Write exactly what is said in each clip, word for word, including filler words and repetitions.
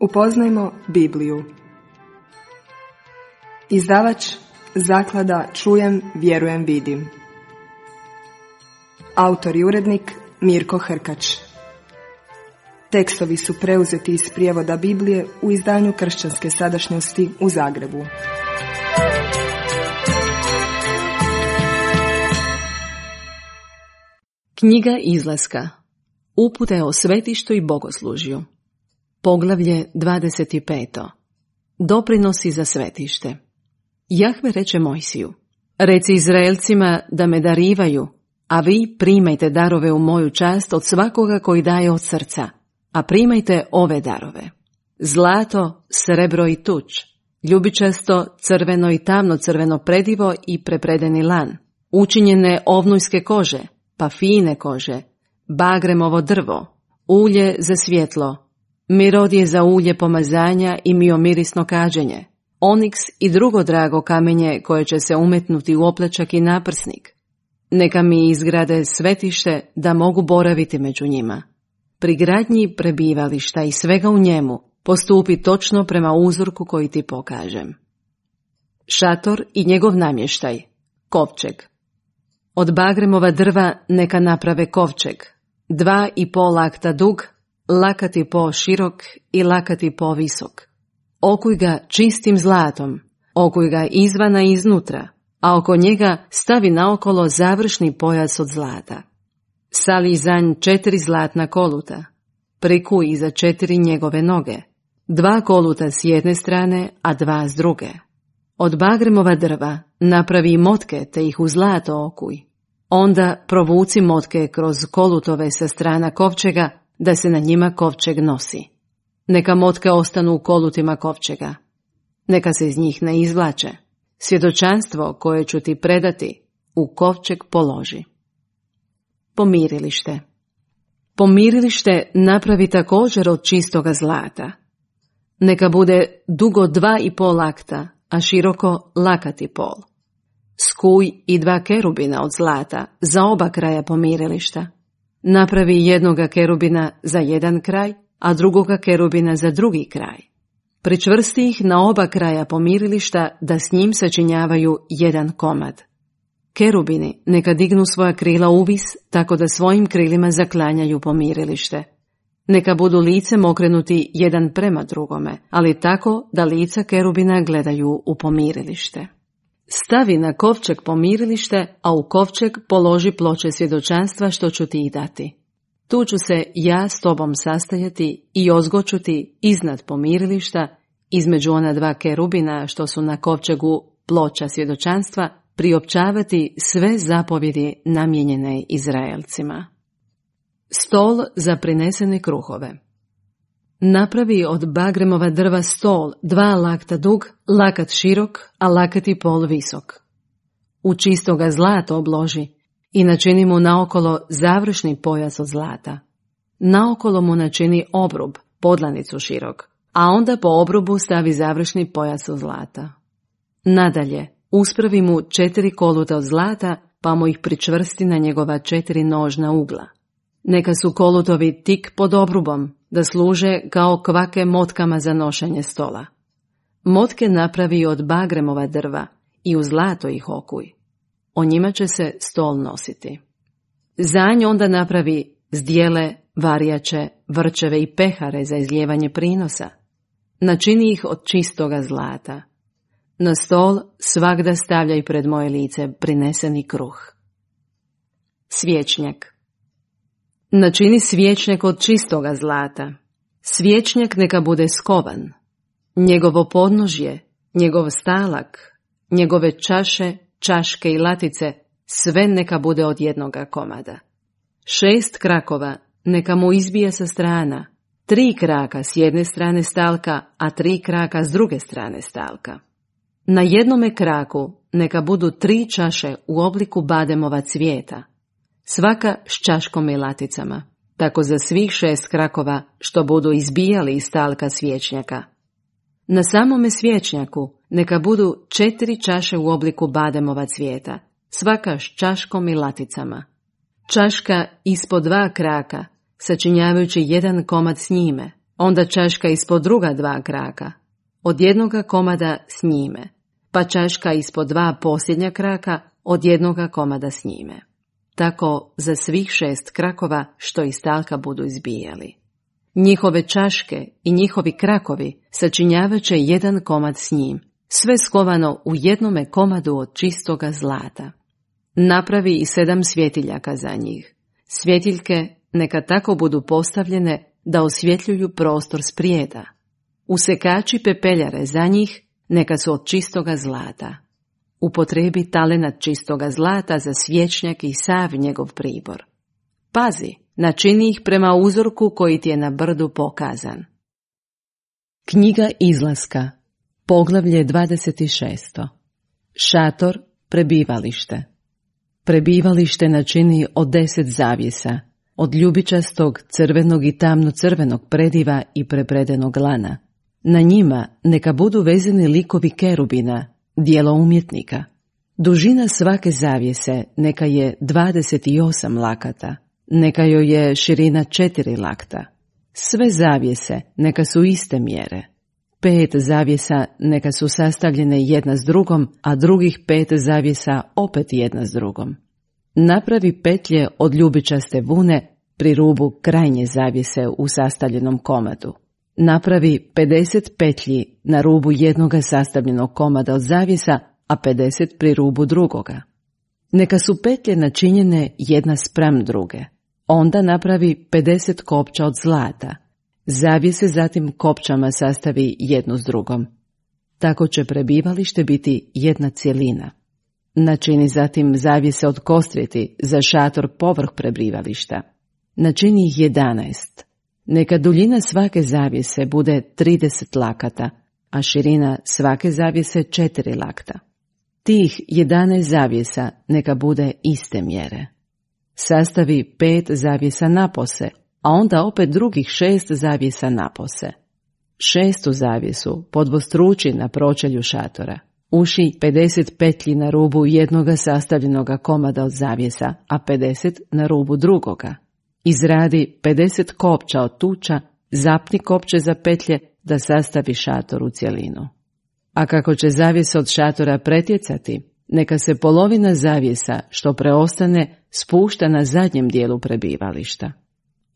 Upoznajmo Bibliju. Izdavač Zaklada Čujem, vjerujem, vidim. Autor i urednik Mirko Hrkač. Tekstovi su preuzeti iz prijevoda Biblije u izdanju Kršćanske sadašnjosti u Zagrebu. Knjiga Izlaska. Upute o svetištu i bogoslužju. Poglavlje dvadeset pet. Doprinosi za svetište. Jahve reče Mojsiju: Reci Izraelcima da me darivaju, a vi primajte darove u moju čast od svakoga koji daje od srca, a primajte ove darove: zlato, srebro i tuč, ljubičasto, crveno i tamno crveno predivo i prepredeni lan, učinjene ovnujske kože, pa fine kože, bagremovo drvo, ulje za svjetlo, mirodje za ulje pomazanja i miomirisno kađenje, oniks i drugo drago kamenje koje će se umetnuti u oplečak i naprsnik. Neka mi izgrade svetište da mogu boraviti među njima. Pri gradnji prebivališta i svega u njemu postupi točno prema uzorku koji ti pokažem. Šator i njegov namještaj, kovčeg. Od bagremova drva neka naprave kovčeg, dva i pol lakta dug, lakat i po širok i lakat i po visok. Okuj ga čistim zlatom, okuj ga izvana i iznutra, a oko njega stavi naokolo završni pojas od zlata. Sali za nj četiri zlatna koluta, prikuj iza četiri njegove noge, dva koluta s jedne strane, a dva s druge. Od bagremova drva napravi motke te ih u zlato okuj. Onda provuci motke kroz kolutove sa strana kovčega, da se na njima kovčeg nosi. Neka motke ostanu u kolutima kovčega. Neka se iz njih ne izvlače. Svjedočanstvo koje ću ti predati u kovčeg položi. Pomirilište. Pomirilište napravi također od čistoga zlata. Neka bude dugo dva i pol lakta, a široko lakat i pol. Skuj i dva kerubina od zlata za oba kraja pomirilišta. Napravi jednoga kerubina za jedan kraj, a drugoga kerubina za drugi kraj. Pričvrsti ih na oba kraja pomirilišta da s njim sačinjavaju jedan komad. Kerubini neka dignu svoja krila uvis tako da svojim krilima zaklanjaju pomirilište. Neka budu licem okrenuti jedan prema drugome, ali tako da lica kerubina gledaju u pomirilište. Stavi na kovčeg pomirilište, a u kovčeg položi ploče svjedočanstva što ću ti dati. Tu ću se ja s tobom sastajati i ozgoću ti iznad pomirilišta, između ona dva kerubina što su na kovčegu ploča svjedočanstva, priopćavati sve zapovjedi namijenjene Izraelcima. Stol za prinesene kruhove. Napravi od bagremova drva stol dva lakta dug, lakat širok, a lakat i pol visok. U čistoga zlata obloži i načini mu naokolo završni pojas od zlata. Naokolo mu načini obrub, podlanicu širok, a onda po obrubu stavi završni pojas od zlata. Nadalje, uspravi mu četiri koluta od zlata, pa mu ih pričvrsti na njegova četiri nožna ugla. Neka su kolutovi tik pod obrubom, da služe kao kvake motkama za nošenje stola. Motke napravi od bagremova drva i u zlato ih okuj. O njima će se stol nositi. Za nj onda napravi zdjele, varjače, vrčeve i pehare za izlijevanje prinosa. Načini ih od čistoga zlata. Na stol svagda stavljaj pred moje lice prineseni kruh. Svječnjak. Načini svječnjak od čistoga zlata. Svječnjak neka bude skovan. Njegovo podnožje, njegov stalak, njegove čaše, čaške i latice, sve neka bude od jednoga komada. Šest krakova neka mu izbije sa strana, tri kraka s jedne strane stalka, a tri kraka s druge strane stalka. Na jednome kraku neka budu tri čaše u obliku bademova cvijeta, svaka s čaškom i laticama, tako za svih šest krakova što budu izbijali iz stalka svječnjaka. Na samome svječnjaku neka budu četiri čaše u obliku bademova cvijeta, svaka s čaškom i laticama. Čaška ispod dva kraka, sačinjavajući jedan komad s njime, onda čaška ispod druga dva kraka, od jednoga komada s njime, pa čaška ispod dva posljednja kraka, od jednoga komada s njime. Tako za svih šest krakova što iz talka budu izbijali. Njihove čaške i njihovi krakovi sačinjavat će jedan komad s njim, sve skovano u jednome komadu od čistoga zlata. Napravi i sedam svjetiljaka za njih. Svjetiljke neka tako budu postavljene da osvjetljuju prostor sprijeda. Usekači pepeljare za njih neka su od čistoga zlata. Upotrebi talenat čistoga zlata za svječnjak i sav njegov pribor. Pazi, načini ih prema uzorku koji ti je na brdu pokazan. Knjiga Izlaska, poglavlje dvadeset šest. Šator, prebivalište. Prebivalište načini od deset zavjesa, od ljubičastog, crvenog i tamno-crvenog prediva i prepredenog lana. Na njima neka budu vezani likovi kerubina, djelo umjetnika. Dužina svake zavjese neka je dvadeset osam lakata, neka joj je širina četiri lakta. Sve zavjese neka su iste mjere. Pet zavjesa neka su sastavljene jedna s drugom, a drugih pet zavjesa opet jedna s drugom. Napravi petlje od ljubičaste vune pri rubu krajnje zavjese u sastavljenom komadu. Napravi pedeset petlji na rubu jednoga sastavljenog komada od zavjesa, a pedeset pri rubu drugoga. Neka su petlje načinjene jedna spram druge. Onda napravi pedeset kopča od zlata. Zavjese zatim kopčama sastavi jednu s drugom. Tako će prebivalište biti jedna cjelina. Načini zatim zavjese od kostriti za šator povrh prebivališta. Načini ih jedanaest. Neka duljina svake zavjese bude trideset lakata, a širina svake zavjese četiri lakta. Tih jedanaest zavjesa neka bude iste mjere. Sastavi pet zavjesa napose, a onda opet drugih šest zavjesa napose. Šestu zavjesu podvostruči na pročelju šatora. Uši pedeset petlji na rubu jednoga sastavljenoga komada od zavjesa, a pedeset na rubu drugoga. Izradi pedeset kopča od tuča, zapni kopče za petlje da sastavi šator u cjelinu. A kako će zavjesa od šatora pretjecati, neka se polovina zavjesa što preostane spušta na zadnjem dijelu prebivališta.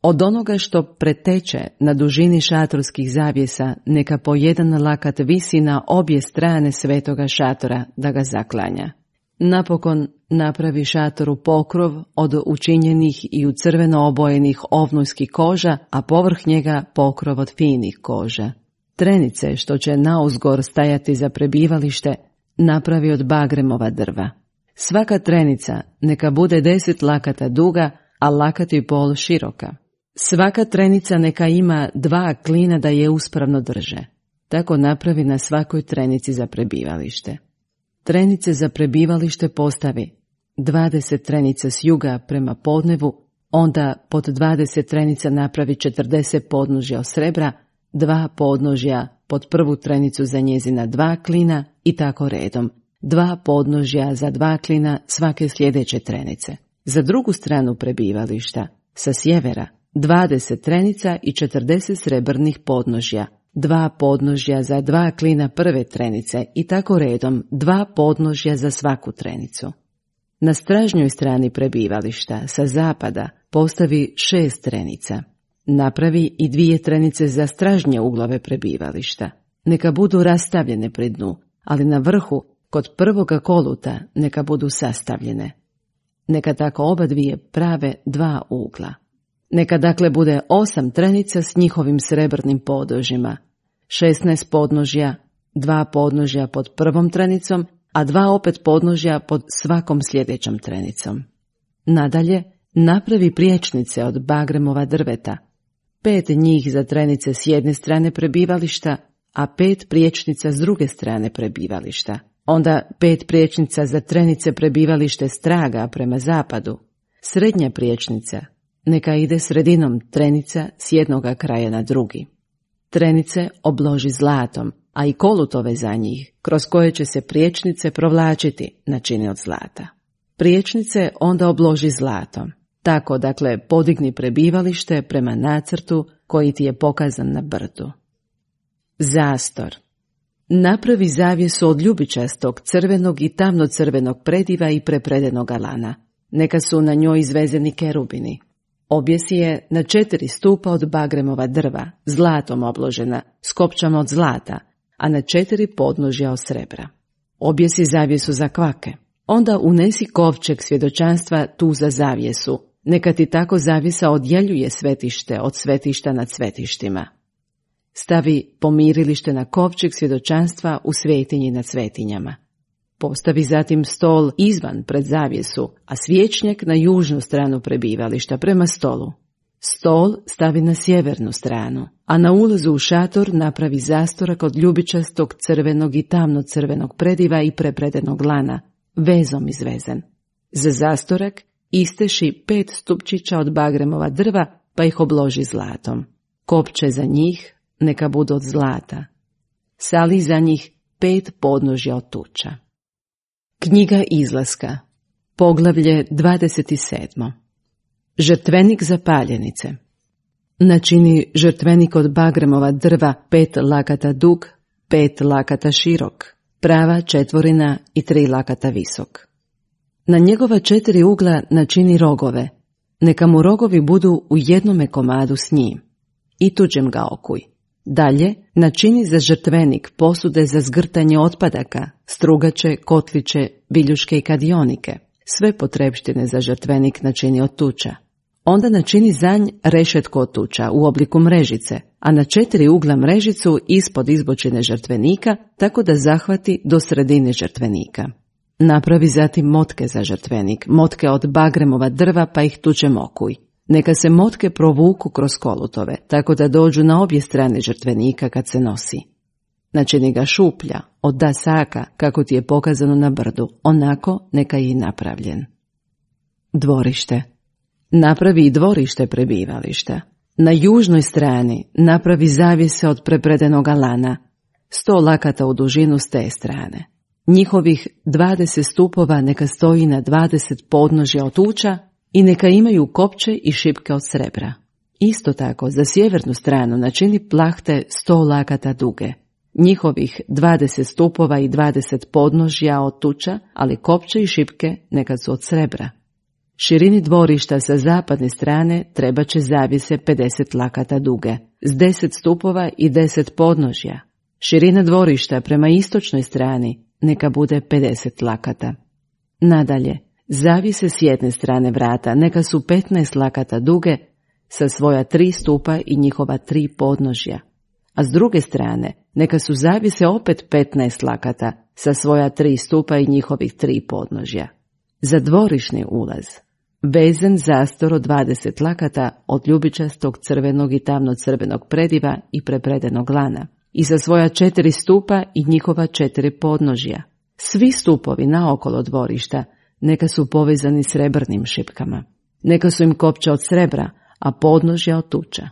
Od onoga što preteče na dužini šatorskih zavjesa neka po jedan lakat visi na obje strane svetoga šatora da ga zaklanja. Napokon napravi šatoru pokrov od učinjenih i u crveno obojenih ovnujskih koža, a povrh njega pokrov od finih koža. Trenice što će nauzgor stajati za prebivalište napravi od bagremova drva. Svaka trenica neka bude deset lakata duga, a lakat i pol široka. Svaka trenica neka ima dva klina da je uspravno drže. Tako napravi na svakoj trenici za prebivalište. Trenice za prebivalište postavi dvadeset trenica s juga prema podnevu, onda pod dvadeset trenica napravi četrdeset podnožja od srebra, dva podnožja pod prvu trenicu za njezina dva klina i tako redom, dva podnožja za dva klina svake sljedeće trenice. Za drugu stranu prebivališta, sa sjevera, dvadeset trenica i četrdeset srebrnih podnožja, dva podnožja za dva klina prve trenice i tako redom dva podnožja za svaku trenicu. Na stražnjoj strani prebivališta sa zapada postavi šest trenica. Napravi i dvije trenice za stražnje uglove prebivališta. Neka budu rastavljene pri dnu, ali na vrhu kod prvoga koluta neka budu sastavljene. Neka tako oba dvije prave dva ugla. Neka dakle bude osam trenica s njihovim srebrnim podnožjima, šesnaest podnožja, dva podnožja pod prvom trenicom, a dva opet podnožja pod svakom sljedećom trenicom. Nadalje, napravi priječnice od bagremova drveta, pet njih za trenice s jedne strane prebivališta, a pet priječnica s druge strane prebivališta. Onda pet priječnica za trenice prebivalište straga prema zapadu. Srednja priječnica neka ide sredinom trenica s jednoga kraja na drugi. Trenice obloži zlatom, a i kolutove za njih, kroz koje će se priječnice provlačiti, načini od zlata. Priječnice onda obloži zlatom. Tako, dakle, podigni prebivalište prema nacrtu koji ti je pokazan na brdu. Zastor. Napravi zavjesu od ljubičastog, crvenog i tamno-crvenog prediva i prepredenog lana. Neka su na njoj izvezeni kerubini. Objesi je na četiri stupa od bagremova drva, zlatom obložena, s kopčama od zlata, a na četiri podnožja od srebra. Objesi zavjesu za kvake. Onda unesi kovčeg svjedočanstva tu za zavjesu. Neka ti tako zavjesa odjeljuje svetište od svetišta nad svetištima. Stavi pomirilište na kovčeg svjedočanstva u svetinji nad svetinjama. Postavi zatim stol izvan pred zavjesu, a svječnjak na južnu stranu prebivališta prema stolu. Stol stavi na sjevernu stranu, a na ulazu u šator napravi zastorak od ljubičastog, crvenog i tamno-crvenog prediva i prepredenog lana, vezom izvezen. Za zastorak isteši pet stupčića od bagremova drva, pa ih obloži zlatom. Kopče za njih neka budu od zlata. Sali za njih pet podnožja od tuča. Knjiga Izlaska, poglavlje dvadeset sedam. Žrtvenik za paljenice. Načini žrtvenik od bagremova drva pet lakata dug, pet lakata širok, prava četvorina i tri lakata visok. Na njegova četiri ugla načini rogove, neka mu rogovi budu u jednome komadu s njim. I tuđem ga okuj. Dalje, načini za žrtvenik posude za zgrtanje otpadaka, strugače, kotliće, biljuške i kadionike. Sve potrebštine za žrtvenik načini od tuča. Onda načini za nj rešetko od tuča u obliku mrežice, a na četiri ugla mrežicu ispod izbočine žrtvenika, tako da zahvati do sredine žrtvenika. Napravi zatim motke za žrtvenik, motke od bagremova drva pa ih tučem okuj. Neka se motke provuku kroz kolutove, tako da dođu na obje strane žrtvenika kad se nosi. Načini ga šuplja, od dasaka, kako ti je pokazano na brdu, onako neka je i napravljen. Dvorište. Napravi i dvorište prebivališta. Na južnoj strani napravi zavjese od prepredenog lana, sto lakata u dužinu s te strane. Njihovih dvadeset stupova neka stoji na dvadeset podnožja od tuča i neka imaju kopče i šipke od srebra. Isto tako, za sjevernu stranu načini plahte sto lakata duge. Njihovih dvadeset stupova i dvadeset podnožja od tuča, ali kopče i šipke neka su od srebra. Širini dvorišta sa zapadne strane treba će zavjese pedeset lakata duge, s deset stupova i deset podnožja. Širina dvorišta prema istočnoj strani neka bude pedeset lakata. Nadalje, zavjese s jedne strane vrata neka su petnaest lakata duge sa svoja tri stupa i njihova tri podnožja, a s druge strane neka su zavjese opet petnaest lakata sa svoja tri stupa i njihovih tri podnožja. Za dvorišni ulaz vezen zastor od dvadeset lakata od ljubičastog, crvenog i tamno-crvenog prediva i prepredenog lana i sa svoja četiri stupa i njihova četiri podnožja. Svi stupovi naokolo dvorišta neka su povezani srebrnim šipkama. Neka su im kopča od srebra, a podnožja od tuča.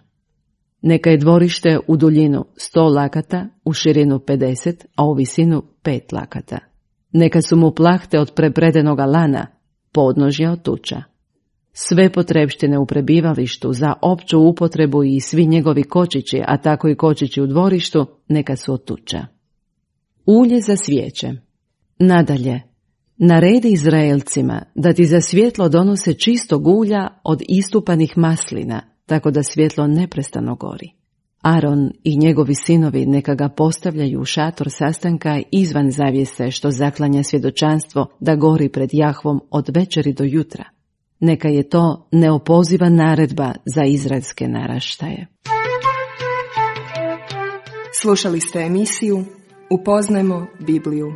Neka je dvorište u duljinu sto lakata, u širinu pedeset, a u visinu pet lakata. Neka su mu plahte od prepredenog lana, podnožja od tuča. Sve potrebštine u prebivalištu za opću upotrebu i svi njegovi kočići, a tako i kočići u dvorištu, neka su od tuča. Ulje za svijeće. Nadalje, naredi Izraelcima da ti za svjetlo donose čistog ulja od istupanih maslina, tako da svjetlo neprestano gori. Aron i njegovi sinovi neka ga postavljaju u šator sastanka izvan zavjese što zaklanja svjedočanstvo da gori pred Jahvom od večeri do jutra. Neka je to neopoziva naredba za izraelske naraštaje. Slušali ste emisiju Upoznajmo Bibliju.